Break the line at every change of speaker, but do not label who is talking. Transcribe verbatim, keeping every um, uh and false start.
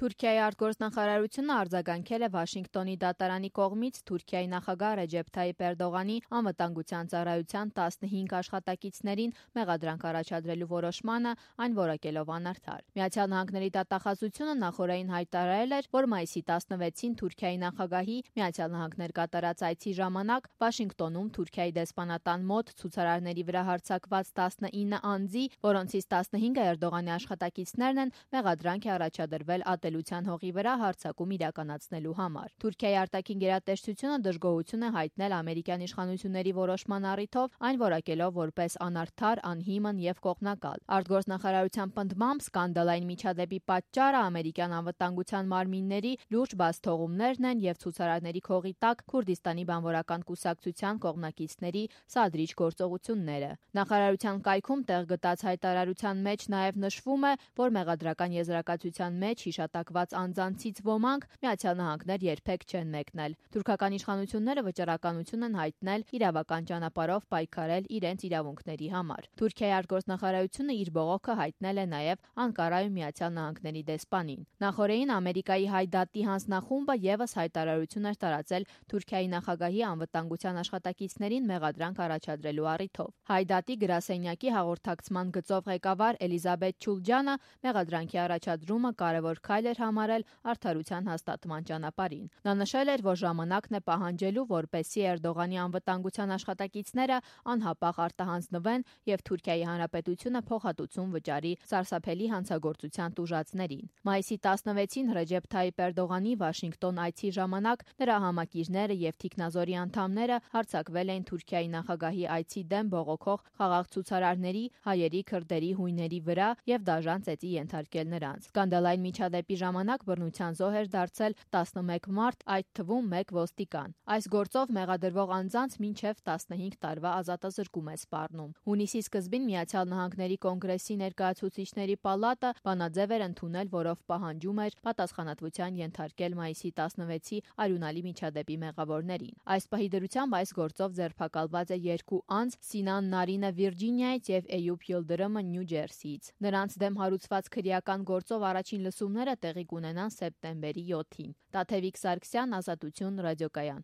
Թուրքիայի արտգործնախարարությունը արձագանքել է Վաշինգտոնի դատարանի կողմից Թուրքիայի նախագահ Ռեջեփ Թայիփ Էրդողանի անվտանգության ծառայության տասնհինգ աշխատակիցներին մեղադրանք առաջադրելու որոշմանը, այն որակելով անարդար։ Միացյալ Նահանգների դատախազությունը նախօրեին հայտարարել էր, որ մայիսի տասնվեցին Թուրքիայի նախագահի Միացյալ Նահանգներ կատարած այցի ժամանակ Վաշինգտոնում Թուրքիայի դեսպանատան մոտ ցուցարարների վրա հարձակված տասնինը անձի, որոնցից տասնհինգը Էրդողանի աշխատակիցներն են, մեղադրանք է առաջադրվել ատելության հողի վրա հարձակում իրականացնելու համար։ Թուրքիայի արտաքին գերատեսչությունը դժգոհություն է հայտնել ամերիկյան իշխանությունների որոշման առիթով, այն որակելով որպես անարդար, անհիմն եւ կողմնակալ։ Արտգործնախարարության պնդմամբ սկանդալային միջադեպի պատճառը ամերիկյան անվտանգության մարմինների լուրջ բացթողումներն են եւ ցուցարարների քողի տակ Քուրդիստանի բանվորական կուսակցության կողմնակիցների սադրիչ գործողությունները։ Նախարարության կայքում տեղ գտած հայտարարության մեջ նաեւ նշվում է, որ մեղադրական եզրակացության մեջ հիշատակված անձանցից ոմանք Միացյալ Նահանգներ երբեք չեն մեկնել։ Թուրքական իշխանությունները վճռականություն են հայտնել իրավական ճանապարհով պայքարել իրենց իրավունքների համար։ Թուրքիայի արտգործնախարարությունը իր բողոքը հայտնել է նաև Անկարայում Միացյալ Նահանգների դեսպանին։ Նախօրեին Ամերիկայի Հայ դատի հանձնախումբը եւս հայտարարություն էր տարածել Թուրքիայի նախագահի անվտանգության աշխատակիցներին մեղադրանք առաջադրելու առիթով։ Հայ դատի գրասենյակի հաղորդակցման գծով ղեկավար Էլիզաբեթ Չուլջանը մեղադրանքի առաջադրումը կարևոր քայլ էր համարել արդարության հաստատման ճանապարհին։ Նա նշել էր, որ ժամանակն է պահանջելու, որպեսզի Էրդողանի անվտանգության աշխատակիցները անհապաղ արտահանձնվեն եւ Թուրքիայի Հանրապետությունը փոխհատուցում վճարի սարսափելի հանցագործության տուժածներին։ Մայիսի տասնվեցին Ռեջեփ Թայիփ Էրդողանի Վաշինգտոն այցի ժամանակ նրա համակիրները եւ թիկնազորի անդամները հարձակվել էին Թուրքիայի նախագահի այցի դեմ բողոքող խաղաղ ցուցարարների, հայերի, քրդերի, հույների վրա եւ դաժան ծեծի ենթարկել նրանց։ Սկանդալային միջադեպի ժամանակ բռնության զոհ էր դարձել տասնմեկ մարդ, այդ թվում մեկ ոստիկան։ Այս գործով մեղադրվող անձանց մինչև տասնհինգ տարվա ազատազրկում է սպառնում։ Հունիսի սկզբին Միացյալ Նահանգների կոնգրեսի ներկայացուցիչների պալատը բանաձև էր ընդունել, որով պահանջում էր պատասխանատվության ենթարկել մայիսի տասնվեցի արյունալի միջադեպի մեղավորներին։ Այս պահի դրությամբ այս գործով ձերբակալված է երկու անձ՝ Սինան Նարինը Վիրջինիայից եւ Էյուբ Յիլդրըմը Նյու Ջերսիից։ Նրանց դեմ հարուցված քրեական գործով առաջին լսումները տեղի կունենան սեպտեմբերի յոթին։ Տաթևիկ Սարգսյան, Ազատություն, Ռադիոկայան։